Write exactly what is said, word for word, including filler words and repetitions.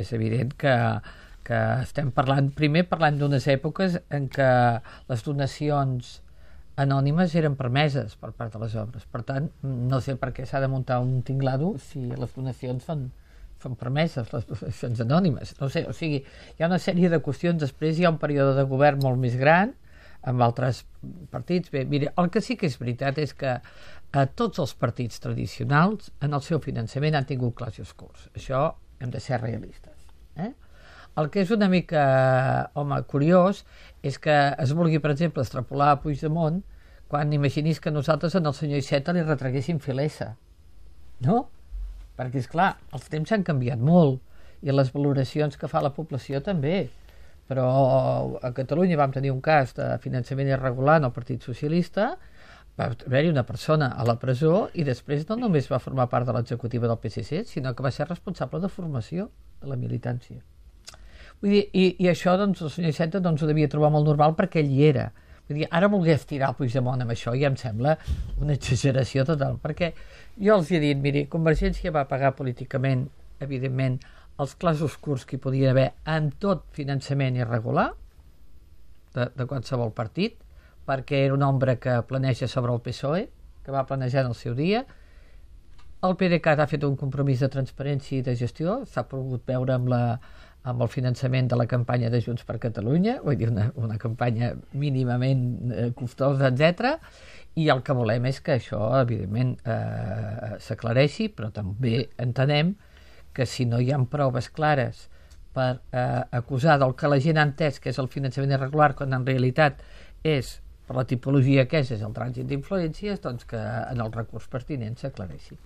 és evident que, que estem parlant, primer parlant d'unes èpoques en què les donacions anònimes eren permeses per part de les obres. Per tant, no sé per què s'ha de muntar un tinglado si les donacions són, són permeses, les donacions anònimes. No sé, o sigui, hi ha una sèrie de qüestions. Després hi ha un període de govern molt més gran, amb altres partits. Bé, mira, el que sí que és veritat és que a tots els partits tradicionals en el seu finançament han tingut clars i oscurs. Això hem de ser realistes. Eh? El que és una mica, home, curiós és que es vulgui, per exemple, extrapolar a Puigdemont quan imaginis que nosaltres en el senyor Iceta li retreguéssim filesa. No? Perquè, és clar, els temps han canviat molt i les valoracions que fa la població també. Però a Catalunya vam tenir un cas de finançament irregular en el Partit Socialista, va haver-hi una persona a la presó i després no només va formar part de l'executiva del P S C, sinó que va ser responsable de formació de la militància. Vull dir, i, i això doncs, el senyor Iceta doncs, ho devia trobar molt normal perquè ell hi era. Vull dir, ara voler estirar el Puigdemont amb això ja em sembla una exageració total, perquè jo els he dit, miri, Convergència va pagar políticament, evidentment, els clars oscurs que hi podia haver en tot finançament irregular de, de qualsevol partit, perquè era una ombra que planeja sobre el P S O E, que va planejar en el seu dia. El P D C A t ha fet un compromís de transparència i de gestió, s'ha pogut veure amb, la, amb el finançament de la campanya de Junts per Catalunya, vull dir, una, una campanya mínimament eh, costosa, etcètera. I el que volem és que això, evidentment, eh, s'aclareixi, però també entenem que si no hi ha proves clares per eh, acusar del que la gent ha entès que és el finançament irregular, quan en realitat és, per la tipologia que és, és el trànsit d'influències, doncs que en el recurs pertinent s'aclareixi.